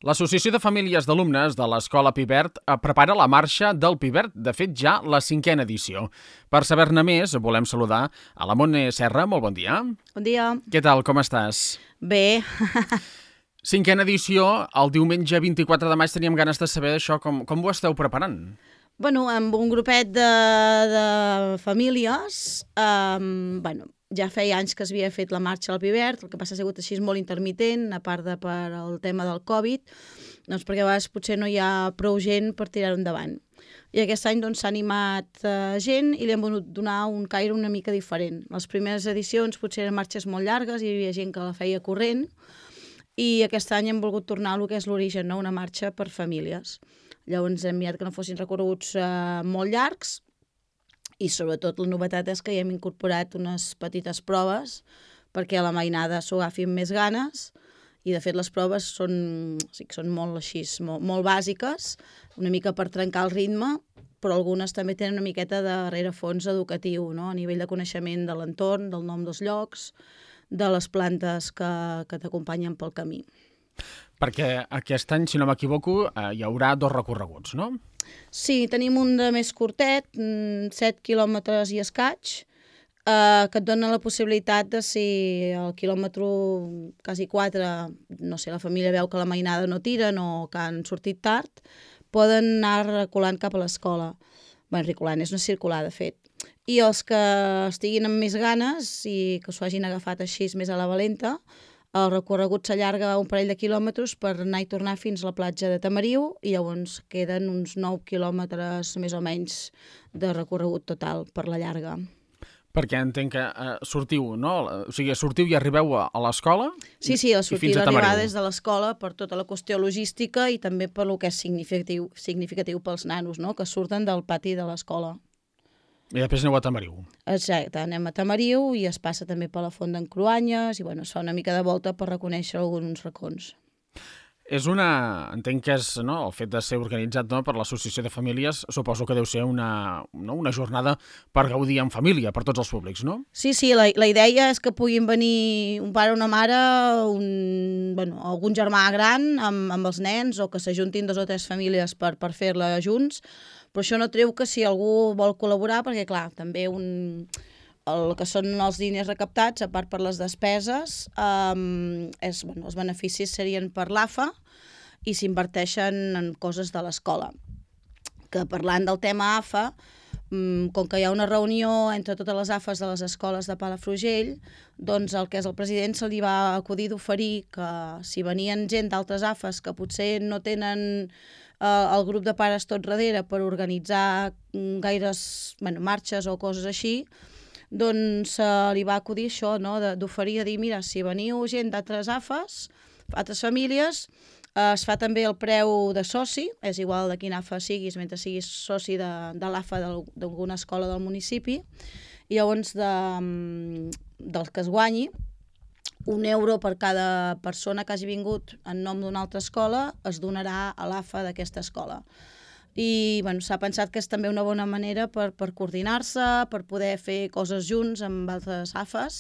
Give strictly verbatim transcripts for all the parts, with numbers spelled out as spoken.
L'Associació de Famílies d'Alumnes de l'Escola Pibert prepara la marxa del Pibert, de fet ja la cinquena edició. Per saber-ne més, volem saludar a la Montse Serra. Molt bon dia. Bon dia. Què tal, com estàs? Bé. Cinquena edició, el diumenge vint-i-quatre de maig teníem ganes de saber això, com, com ho esteu preparant? Bueno, amb un grupet de, de famílies, um, bueno, ja feia anys que s'havia fet la marxa al Pibert, el que passa ha sigut així molt intermitent, a part de per el tema del Covid, doncs perquè a vegades potser no hi ha prou gent per tirar-ho endavant. I aquest any doncs, s'ha animat eh, gent i li hem volgut donar un caire una mica diferent. Les primeres edicions potser eren marxes molt llargues, hi havia gent que la feia corrent, i aquest any hem volgut tornar al que és l'origen, no? Una marxa per famílies. Llavors hem mirat que no fossin recorreguts eh, molt llargs, i sobretot la novetat és que hi hem incorporat unes petites proves perquè a la mainada s'ho agafi amb més ganes, i de fet les proves són, sí, són molt així, molt, molt bàsiques, una mica per trencar el ritme, però algunes també tenen una miqueta de rerefons educatiu, no? A nivell de coneixement de l'entorn, del nom dels llocs, de les plantes que, que t'acompanyen pel camí. Perquè aquest any, si no m'equivoco, eh, hi haurà dos recorreguts, no? Sí, tenim un de més curtet, set quilòmetres i escaig, eh, que et dona la possibilitat de, si al quilòmetre quasi quatre, no sé, la família veu que la mainada no tiren o que han sortit tard, poden anar reculant cap a l'escola. Bé, reculant, és una circular, de fet. I els que estiguin amb més ganes i que s'ho hagin agafat així més a la valenta, el recorregut s'allarga un parell de quilòmetres per anar i tornar fins a la platja de Tamariu, i llavors queden uns nou quilòmetres més o menys de recorregut total per la llarga. Perquè entenc que eh, sortiu, no? O sigui, sortiu i arribeu a, a l'escola? Sí, sí, la sortida arribar des de l'escola per tota la qüestió logística i també per lo que és significatiu, significatiu pels nanos, no? Que surten del pati de l'escola. I després aneu a Tamariu. Exacte, anem a Tamariu i es passa també per la Font d'en Cruanyes i bueno, es fa una mica de volta per reconèixer alguns racons. És una... Entenc que és, no, el fet de ser organitzat, no, per l'Associació de Famílies, suposo que deu ser una, no, una jornada per gaudir en família, per tots els públics, no? Sí, sí, la, la idea és que puguin venir un pare o una mare, un, bueno, algun germà gran amb, amb els nens, o que s'ajuntin dos o tres famílies per, per fer-la junts, però això no treu que si algú vol col·laborar, perquè clar, també un... el que són els diners recaptats, a part per les despeses, um, és, bueno, els beneficis serien per l'A F A i s'inverteixen en coses de l'escola. Que parlant del tema A F A, um, com que hi ha una reunió entre totes les A F As de les escoles de Palafrugell, doncs el que és el president se li va acudir d'oferir que si venien gent d'altres A F As que potser no tenen eh, el grup de pares tot darrere per organitzar gaires bueno, marxes o coses així, doncs uh, li va acudir això, no? D'oferir a dir, mira, si veniu gent d'altres A F As, altres famílies, uh, es fa també el preu de soci, és igual de quin A F A siguis, mentre siguis soci de, de l'A F A d'alguna escola del municipi, i llavors de, del que es guanyi, un euro per cada persona que hagi vingut en nom d'una altra escola es donarà a l'A F A d'aquesta escola. I bueno, s'ha pensat que és també una bona manera per, per coordinar-se, per poder fer coses junts amb altres A F As,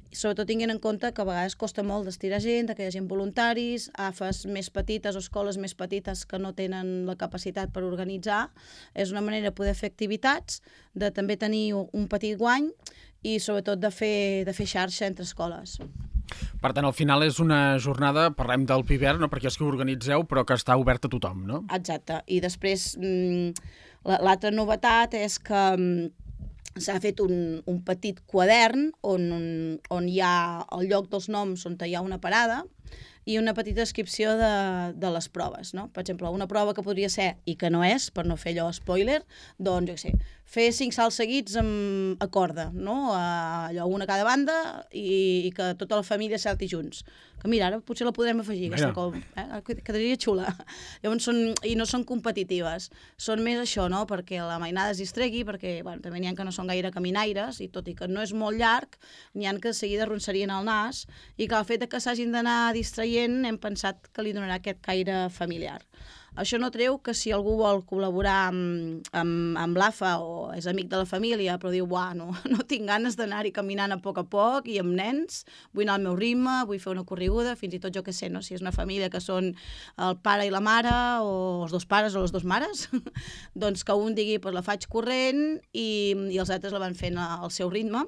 i sobretot tinguent en compte que a vegades costa molt d'estirar gent, que hi ha gent voluntaris, A F As més petites o escoles més petites que no tenen la capacitat per organitzar. És una manera de poder fer activitats, de també tenir un petit guany i sobretot de fer, de fer xarxa entre escoles. Per tant, al final és una jornada, parlem del Pibert, no perquè és que ho organitzeu, però que està obert a tothom, no? Exacte. I després, l'altra novetat és que s'ha fet un, un petit quadern on, on hi ha el lloc dels noms on hi ha una parada i una petita descripció de, de les proves, no? Per exemple, una prova que podria ser, i que no és, per no fer allò spoiler, doncs, jo què sé, fer cinc salts seguits amb, a corda, no? A, allò, una a cada banda i, i que tota la família salti junts. Que mira, ara potser la podrem afegir, aquesta com, eh? Quedaria xula. Llavors són, i no són competitives, són més això, no? Perquè la mainada es distregui, perquè bueno, també n'hi ha que no són gaire caminaires, i tot i que no és molt llarg, n'hi ha que de seguida arronsarien el nas, i que el fet que s'hagin d'anar distraient, hem pensat que li donarà aquest caire familiar. Això no treu que si algú vol col·laborar amb, amb, amb l'A F A o és amic de la família, però diu, buah, no, no tinc ganes d'anar-hi caminant a poc a poc i amb nens, vull anar al meu ritme, vull fer una corriguda, fins i tot jo què sé, no? Si és una família que són el pare i la mare, o els dos pares o les dues mares, doncs que un digui, pues la faig corrent i, i els altres la van fent al seu ritme.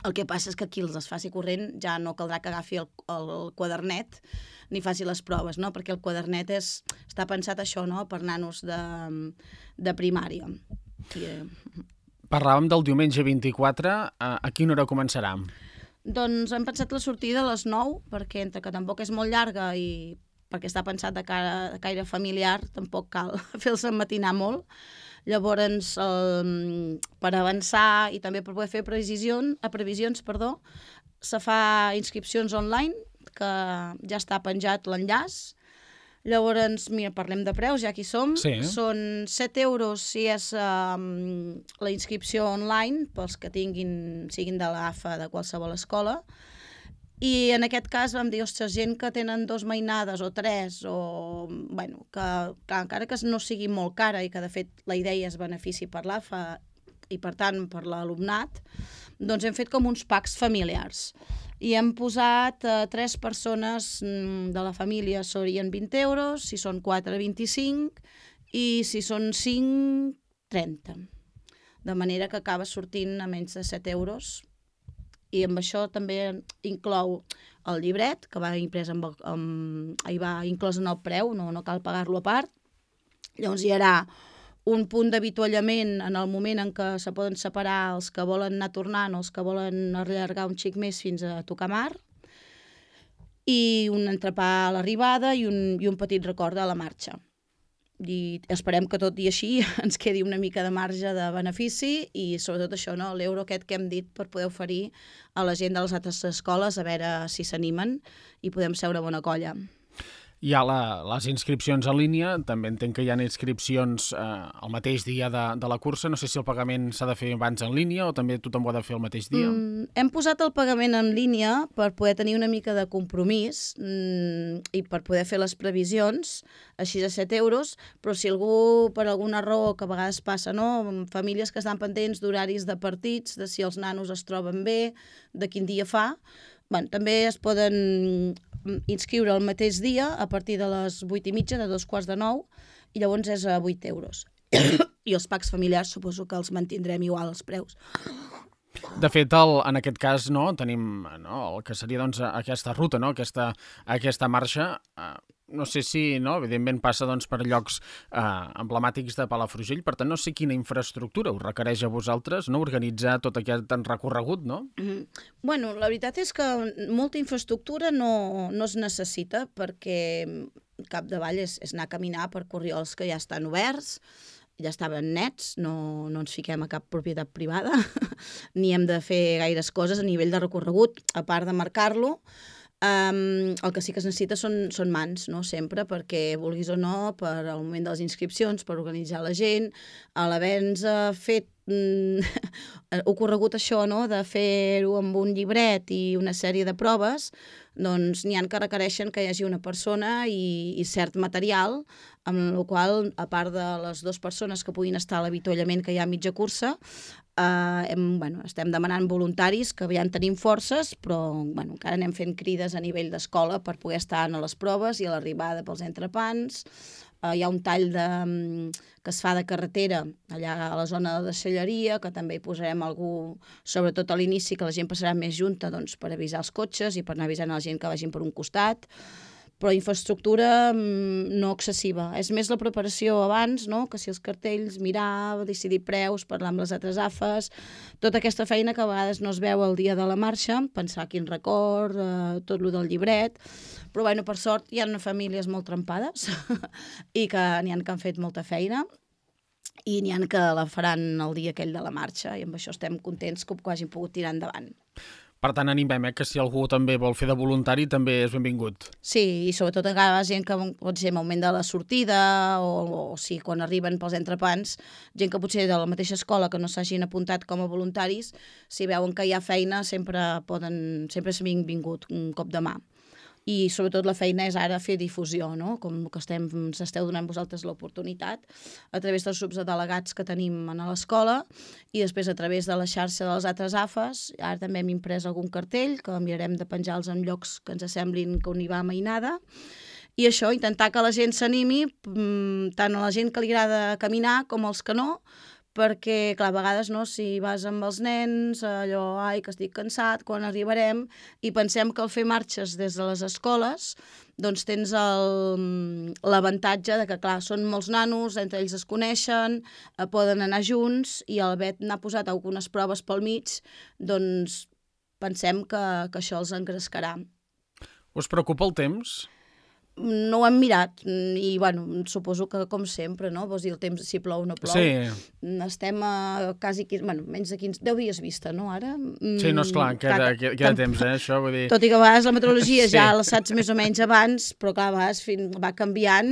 El que passa és que qui els es faci corrent ja no caldrà que agafi el, el quadernet ni faci les proves, no? Perquè el quadernet és, està pensat això, no? Per nanos de, de primària. I, eh... Parlàvem del diumenge vint-i-quatre, a, a quina hora començarà? Doncs hem pensat la sortida a les nou, perquè entre que tampoc és molt llarga i perquè està pensat de, cara, de caire familiar, tampoc cal fer-se matinar molt. Llavors, eh, per avançar i també per poder fer previsions, a previsions, perdó, se fa inscripcions online, que ja està penjat l'enllaç. Llavors, mira, parlem de preus, ja que hi som. Sí. Són set euros si és um, la inscripció online, pels que tinguin, siguin de l'A F A de qualsevol escola. I en aquest cas vam dir, ostres, gent que tenen dos mainades o tres, o, bueno, que, que encara que no sigui molt cara i que, de fet, la idea és benefici per l'A F A i, per tant, per l'alumnat, doncs hem fet com uns packs familiars. I hem posat eh, tres persones de la família serien vint euros, si són quatre, vint-i-cinc, i si són cinc, trenta. De manera que acaba sortint a menys de set euros. I amb això també inclou el llibret, que va imprès amb, amb, hi va inclòs en el preu, no, no cal pagar-lo a part. Llavors hi haurà un punt d'avituallament en el moment en què se poden separar els que volen anar tornant o els que volen allargar un xic més fins a tocar mar, i un entrepà a l'arribada i un, i un petit record a la marxa. I esperem que tot i així ens quedi una mica de marge de benefici i sobretot això, no? L'euro aquest que hem dit per poder oferir a la gent de les altres escoles a veure si s'animen i podem ser una bona colla. Hi ha la, les inscripcions en línia, també entenc que hi ha inscripcions eh, el mateix dia de, de la cursa, no sé si el pagament s'ha de fer abans en línia o també tothom ho ha de fer el mateix dia. Mm, hem posat el pagament en línia per poder tenir una mica de compromís mm, i per poder fer les previsions, així de set euros, però si algú, per alguna raó que a vegades passa, no? Famílies que estan pendents d'horaris de partits, de si els nanos es troben bé, de quin dia fa, bueno, també es poden inscriure el mateix dia a partir de les vuit i mitja, de dos quarts de nou, i llavors és a vuit euros. I els packs familiars suposo que els mantindrem igual els preus. De fet, el, en aquest cas, no, tenim no, el que seria doncs, aquesta ruta, no, aquesta, aquesta marxa. Eh, no sé si, no, evidentment, passa doncs, per llocs eh, emblemàtics de Palafrugell, per tant, no sé quina infraestructura us requereix a vosaltres no, organitzar tot aquest recorregut, no? Mm-hmm. Bueno, la veritat és que molta infraestructura no, no es necessita perquè capdavall és, és anar a caminar per corriols que ja estan oberts, ja estaven nets, no, no ens fiquem a cap propietat privada, ni hem de fer gaires coses a nivell de recorregut, a part de marcar-lo. Um, el que sí que es necessita són, són mans, no? Sempre, perquè vulguis o no, per al moment de les inscripcions, per organitzar la gent, a l'haver-nos fet mm, ocorregut això, no? De fer-ho amb un llibret i una sèrie de proves, doncs n'hi ha que requereixen que hi hagi una persona i, i cert material, amb la qual, a part de les dues persones que puguin estar a l'avituallament que hi ha a mitja cursa, eh, hem, bueno, estem demanant voluntaris, que ja en tenim forces, però bueno, encara anem fent crides a nivell d'escola per poder estar a les proves i a l'arribada pels entrepans. Uh, hi ha un tall de, que es fa de carretera allà a la zona de deixalleria, que també hi posarem algú, sobretot a l'inici, que la gent passarà més junta doncs, per avisar els cotxes i per anar avisant a la gent que vagin per un costat, però infraestructura no excessiva. És més la preparació abans, no? Que si els cartells, mirar, decidir preus, parlar amb les altres A F As, tota aquesta feina que a vegades no es veu el dia de la marxa, pensar quin record, eh, tot lo del llibret. Però, bueno, per sort, hi ha famílies molt trempades i que n'hi ha que han fet molta feina i n'hi ha que la faran el dia aquell de la marxa i amb això estem contents que ho hagin pogut tirar endavant. Per tant, animem, eh, que si algú també vol fer de voluntari també és benvingut. Sí, i sobretot encara la gent que pot ser al moment de la sortida o, o sí, quan arriben pels entrepans, gent que potser de la mateixa escola que no s'hagin apuntat com a voluntaris, si veuen que hi ha feina sempre poden, sempre és benvingut un cop de mà. i sobretot la feina és ara fer difusió, no? Com que estem, ens esteu donant vosaltres l'oportunitat, a través dels grups de delegats que tenim a l'escola i després a través de la xarxa de les altres A F Es. Ara també hem imprès algun cartell que mirarem de penjar-los en llocs que ens semblin que on hi va mainada. I això, intentar que la gent s'animi, tant a la gent que li agrada caminar com als que no, perquè, clar, a vegades, no, si vas amb els nens, allò, ai, que estic cansat, quan arribarem, i pensem que al fer marxes des de les escoles, doncs tens l'avantatge de que, clar, són molts nanos, entre ells es coneixen, eh, poden anar junts, i al haver n'ha posat algunes proves pel mig, doncs pensem que, que això els engrescarà. Us preocupa el temps? No ho hem mirat i, bueno, suposo que com sempre, no? Vols dir, el temps, si plou o no plou. Sí. Estem a quasi, bueno, menys de quinze, deu dies vista, no, ara? Sí, no, esclar, queda, queda, queda temps, eh, això, vull dir... Tot i que a vegades la meteorologia sí. ja la saps més o menys abans, però clar, a vegades fin, va canviant.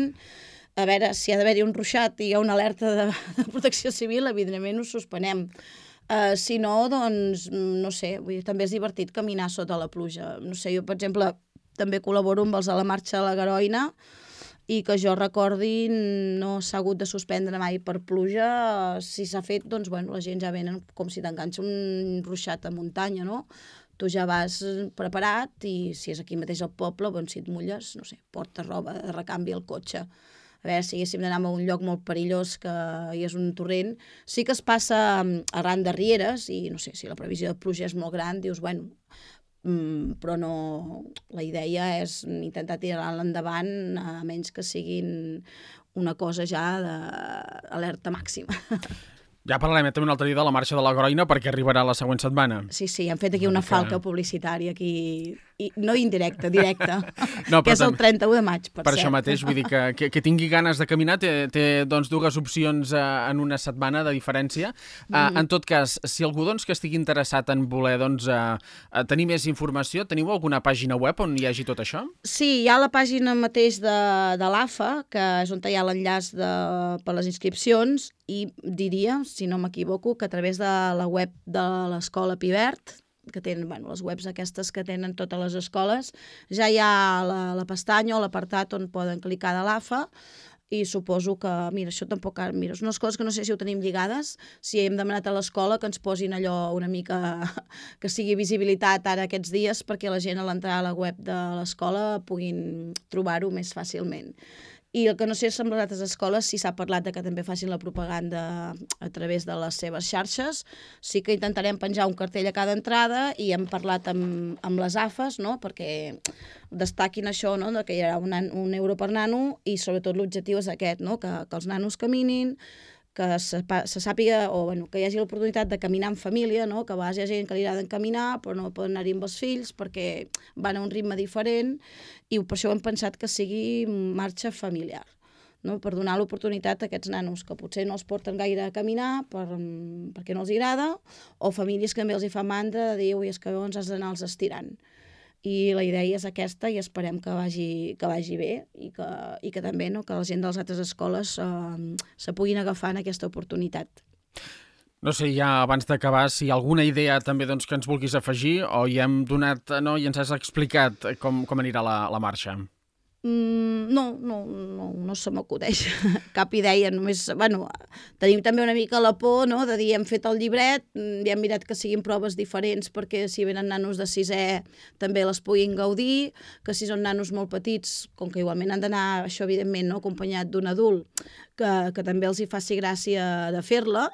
A veure, si ha d'haver-hi un ruixat i hi ha una alerta de, de protecció civil, evidentment ho suspenem. Uh, si no, doncs, no sé, vull dir, també és divertit caminar sota la pluja. No sé, jo, per exemple, també col·laboro amb els de la marxa a la Garoina i que jo recordi no s'ha hagut de suspendre mai per pluja. Si s'ha fet, doncs, bueno, la gent ja venen com si t'enganxa un ruixat a muntanya, no? Tu ja vas preparat i si és aquí mateix al poble, doncs, si et mulles, no sé, porta roba de recanvi al cotxe. A veure, si haguéssim d'anar a un lloc molt perillós que hi és un torrent, sí que es passa arran de rieres i, no sé, si la previsió de pluja és molt gran, dius, bueno, Mm, però no, la idea és intentar tirar-la endavant a menys que siguin una cosa ja d'alerta màxima. Ja parlarem també un altre dia de la marxa de la Garoina perquè arribarà la següent setmana. Sí, sí, hem fet aquí una, una falca que... publicitària aquí, i no indirecta, directa, no, que és el trenta-u de maig, per, per cert. això mateix, vull dir que, que, que tingui ganes de caminar té, té doncs, dues opcions eh, en una setmana de diferència. Mm. Uh, en tot cas, si algú doncs, que estigui interessat en voler doncs, uh, tenir més informació, teniu alguna pàgina web on hi hagi tot això? Sí, hi ha la pàgina mateix de, de l'A F A, que és on hi ha l'enllaç per les inscripcions, i diria, si no m'equivoco, que a través de la web de l'Escola Pivert, que tenen, bueno, les webs aquestes que tenen totes les escoles, ja hi ha la, la pestanya o l'apartat on poden clicar de l'A F A, i suposo que, mira, això tampoc... Mira, són unes coses que no sé si ho tenim lligades, si hem demanat a l'escola que ens posin allò una mica... que sigui visibilitat ara aquests dies perquè la gent a l'entrar a la web de l'escola puguin trobar-ho més fàcilment. I el que no sé és amb les altres escoles si s'ha parlat de que també facin la propaganda a través de les seves xarxes. Sí que intentarem penjar un cartell a cada entrada i hem parlat amb, amb les A F Es, no?, perquè destaquin això, no?, que hi haurà un, un euro per nano i sobretot l'objectiu és aquest, no?, que, que els nanos caminin, que se, se sàpiga, o bueno, que hi hagi l'oportunitat de caminar en família, no?, que a vegades hi ha gent que li agrada caminar però no poden anar-hi amb els fills perquè van a un ritme diferent i per això hem pensat que sigui marxa familiar, no?, per donar l'oportunitat a aquests nanos que potser no els porten gaire a caminar per, perquè no els agrada, o famílies que també els hi fa mandra de dir, ui, és que llavors has d'anar-los estirant. I la idea és aquesta i esperem que vagi, que vagi bé i que, i que també, no?, que la gent de les altres escoles eh, se puguin agafar en aquesta oportunitat. No sé, ja abans d'acabar, si hi ha alguna idea també doncs, que ens vulguis afegir o ja hem donat, no, i ens has explicat com, com anirà la, la marxa. Mm, no, no, no, no se m'acudeix cap idea, només, bueno, tenim també una mica la por, no?, de dir, hem fet el llibret, ja hem mirat que siguin proves diferents perquè si venen nanos de sisè també les puguin gaudir, que si són nanos molt petits, com que igualment han d'anar, això evidentment, no?, acompanyat d'un adult, que, que també els hi faci gràcia de fer-la,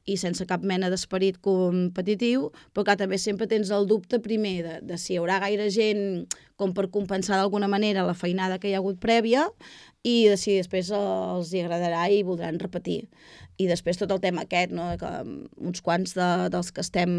i sense cap mena d'esperit competitiu, però que també sempre tens el dubte primer de, de si hi haurà gaire gent com per compensar d'alguna manera la feinada que hi ha hagut prèvia i de si després els hi agradarà i voldran repetir. I després tot el tema aquest, no?, que uns quants de, dels que estem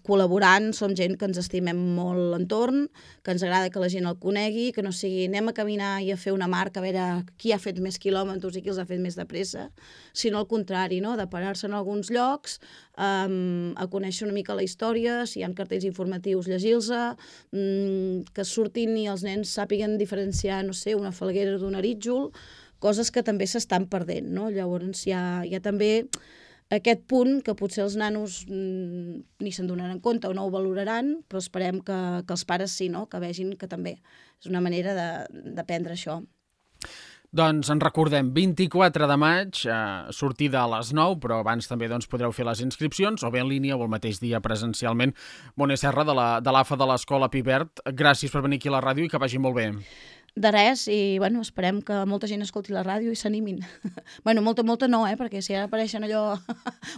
col·laborant som gent que ens estimem molt l'entorn, que ens agrada que la gent el conegui, que no sigui anem a caminar i a fer una marca a veure qui ha fet més quilòmetres i qui els ha fet més de pressa, sinó al contrari, no?, de parar-se en alguns llocs, um, a conèixer una mica la història, si hi ha cartells informatius, llegir-los, um, que surtin i els nens sàpiguen diferenciar, no sé, una falguera d'un arítjol, coses que també s'estan perdent, no? Llavors hi ha, hi ha també aquest punt que potser els nanos mm, ni se'n donaran compte o no ho valoraran, però esperem que, que els pares sí, no? Que vegin que també és una manera d'aprendre això. Doncs en recordem, vint-i-quatre de maig, eh, sortida a les nou, però abans també doncs, podreu fer les inscripcions, o bé en línia o el mateix dia presencialment. Mone Serra, de la, de l'A F A de l'Escola Pibert, gràcies per venir aquí a la ràdio i que vagi molt bé. De res, i bueno, esperem que molta gent escolti la ràdio i s'animin. bueno, molta, molta no, eh? Perquè si ara apareixen allò...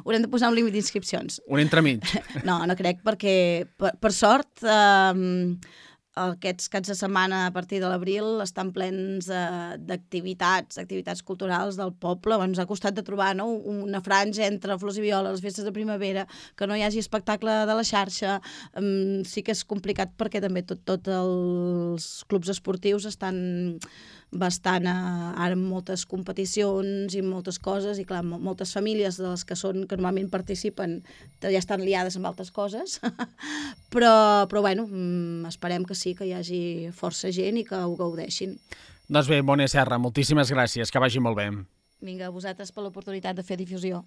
haurem de posar un límit d'inscripcions. Un entremig. no, no crec, perquè per, per sort... Eh, aquests caps de setmana a partir de l'abril estan plens eh, d'activitats, activitats culturals del poble. Bueno, ens ha costat de trobar, no?, una franja entre flors i violes, les festes de primavera, que no hi hagi espectacle de la xarxa. Um, sí que és complicat perquè també tots tot els clubs esportius estan bastant a, ara amb moltes competicions i moltes coses, i clar, moltes famílies de les que són que normalment participen ja estan liades amb altres coses, però, però bueno, esperem que sí, que hi hagi força gent i que ho gaudeixin. Doncs bé, Mone Serra, moltíssimes gràcies, que vagi molt bé. Vinga, a vosaltres per l'oportunitat de fer difusió.